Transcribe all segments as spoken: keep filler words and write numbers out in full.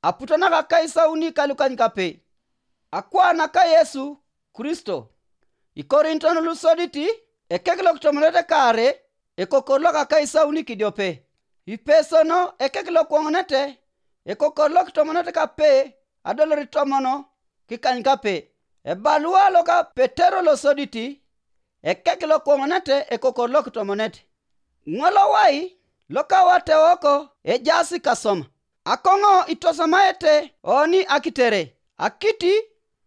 aputana ka kaisa uni kalukan kape akwana ka Yesu Kristo ikorinton lusoditi ekeglok tomonete kare ekokorlo ka kaisa uni kidiope ipesono ekeglok wongnete ekokorlo tomonete kape adolori tomono kikany kape ebalua loka Petero losoditi ekeglok wongnete ekokorlo tomonete ngolo wai loka wate oko ejasi kasoma akongo itosamaete oni akitere akiti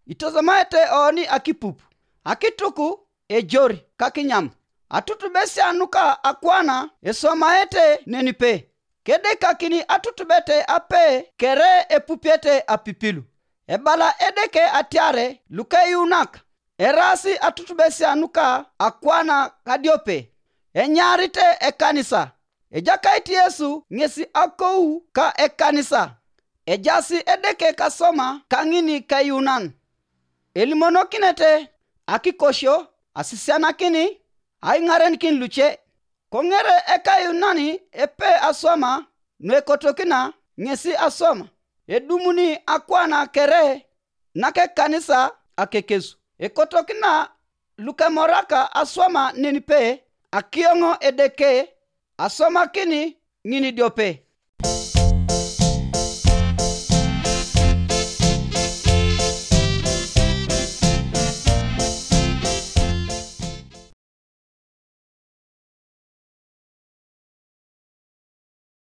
itosamaete oni akipupu akituku ejori kakinyam atutu besi anuka akwana esomaete nenipe kede kakini atutu bete ape kere epupiete apipilu ebala edeke atiare luke yunak erasi atutu besi anuka akwana kadiope enyarite ekanisa ejakaiti Yesu ngesi akou ka ekanisa ejasi edeke kasoma kangini kayunan elimono kinete akikosho asisiana kini aingaren kin luche kongere ekayunani epe asoma nwekotokina ngesi asoma edumuni akwana kere nake kanisa akekesu ekotokina luke moraka asoma nenipe akiongo edeke asoma kini ngini diope